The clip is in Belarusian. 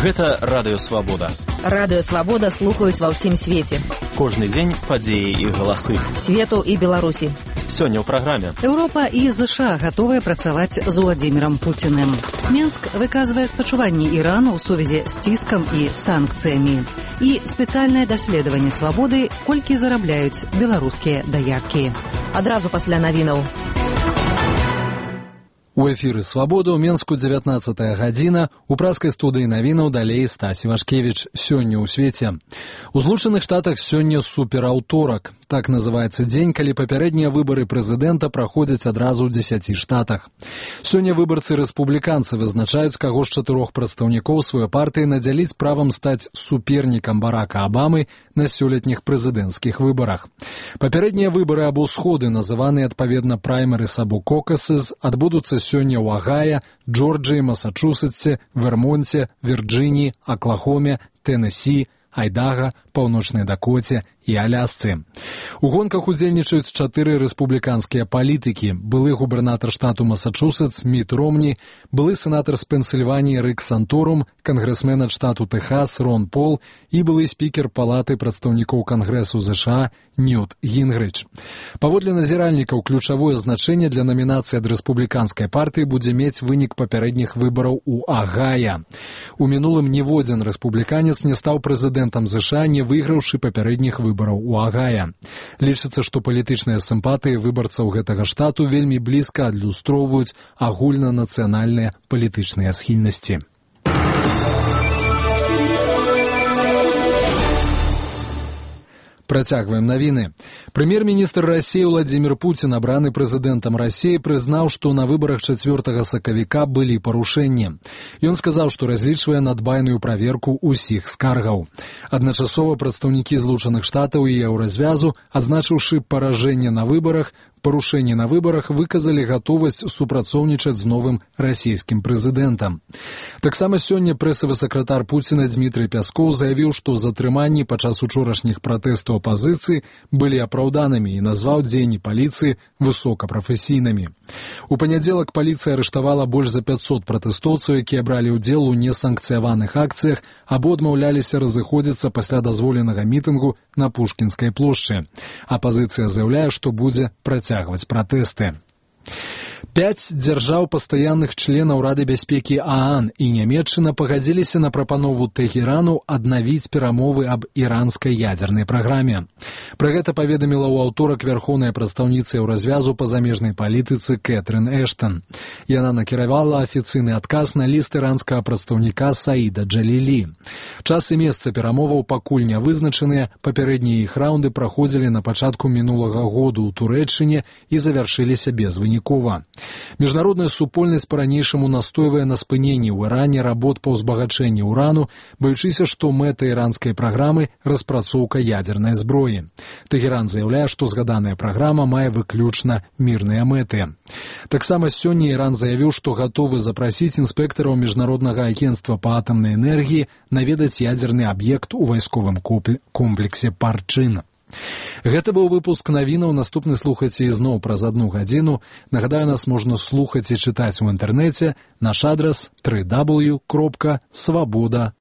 Гэта Радыё Свабода. Радыё Свабода слухаюць ва ўсім свеце. Кожны дзень падзеі і галасы. Свету і Беларусі. Сёння ў праграме. Еўропа і ЗША гатовыя працаваць з Уладзімірам Пуціным. Мінск выказвае спачуванні Ірану ў сувязі з ціскам і санкцыямі. І спецыяльнае даследаванне свабоды, колькі зарабляюць беларускія даяркі. Адразу пасля навінаў. У эфіры «Свабода» ў Менску 19-я гадзіна. У праскай студыі навінаў далей Стась Івашкевіч. Сёння ў свеце. У Злучаных Штатах сёння супераўторак. Так называецца дзень, калі папярэднія выбары прэзідэнта праходзяць адразу ў 10 штатах. Сёння выбарцы-рэспубліканцы вызначаюць, каго з 4 прадстаўнікоў сваёй партыі надзяліць правам стаць супернікам Барака Абамы на сёлетніх прэзідэнцкіх выбарах. Папярэднія выбары або сходы, называныя адпаведна праймерыс або кокасыз, адбудуцца сёння ў Агая, Джорджыі, Масачусетсе, Вермонце, Вірджыніі, Аклахоме, Тэнесі, Айдага, Паўночнай Дакоце і Алясцы. У гонках удзельнічаюць 4 рэспубліканскія палітыкі: былы губернатар штату Масачусетс Міт Ромні, былы сенатар з Пенсільваніі Рик Санторум, кангрэсмен ад штату Тэхас Рон Пол і былы спікер палаты прадстаўнікоў Кангрэсу ЗША Ньют Гінгрыч. Паводле назіральнікаў, ключавое значэнне для намінацыі ад рэспубліканскай партыі будзе мець вынік папярэдніх выбараў у Агая. У мінулым ніводзін рэспубліканец не стаў прэзідэнтам ЗША, не выйграўшы папярэдніх выбараў у Агая. Лічыцца, што палітычныя сімпатыі выбарцаў гэтага штату вельмі блізка адлюстроўваюць агульнанацыянальныя палітычныя схільнасці. Працягваем навіны. Прэм'ер-міністр Расіі Уладзімір Пуцін, абраны прэзідэнтам Расіі, прызнаў, што на выбарах 4 сакавіка былі парушэнні. Ён сказаў, што разлічвае на дбайную праверку ўсіх скаргаў. Адначасова прадстаўнікі Злучаных Штатаў і Еўразвязу, адзначыўшы паражэнне на выбарах, выказалі гатовасць супрацоўнічаць з новым расійскім прэзідэнтам. Таксама сёння прэсавы сакратар Пуціна Дмітрый Пяскоў заявіў, што затрыманні падчас учорашніх пратэстаў апазіцыі былі апраўданымі і назваў дзеянні паліцыі высокапрафесійнымі. У панядзелак паліцыя арыштавала больш за 500 пратэстоўцаў, якія бралі ўдзел у несанкцыяваных акцыях або адмаўляліся разыходзіцца пасля дазволенага мітынгу на Пушкінскай плошчы. Апазіцыя заяўляе, што будзе працягваць пратэсты. 5 дзяржаў пастаянных членаў Рады бяспекі ААН і Нямецчына пагадзіліся на прапанову Тэхерану аднавіць перамовы аб іранскай ядзернай праграме. Пра гэта паведаміла ў аўторак вярхоўная прадстаўніца Еўразвязу па замежнай палітыцы Кэтрын Эштан. Яна накіравала афіцыйны адказ на ліст іранскага прадстаўніка Саіда Джалілі. Час і месца перамоваў пакуль не вызначаныя, папярэднія іх раўнды праходзілі на пачатку мінулага году ў Турэччыне і завяршыліся безвынікова. Міжнародная супольнасць па-ранейшаму настойвае на спыненні ў Іране работ па ўзбагачэнні ўрану, баючыся, што мэта іранскай праграмы – распрацоўка ядзернай зброі. Тэхеран заяўляе, што згаданая праграма мае выключна мірныя мэты. Таксама сёння Іран заявіў, што гатовы запрасіць інспектараў Міжнароднага агенцтва па атамнай энергіі наведаць ядзерны аб'ект у вайсковым комплексе Парчын. Гэта быў выпуск навінаў. Наступны слухайце ізноў праз 1 гадзіну. Нагадаю, нас можна слухаць і чытаць у інтэрнэце. Наш адрас www.swaboda.org.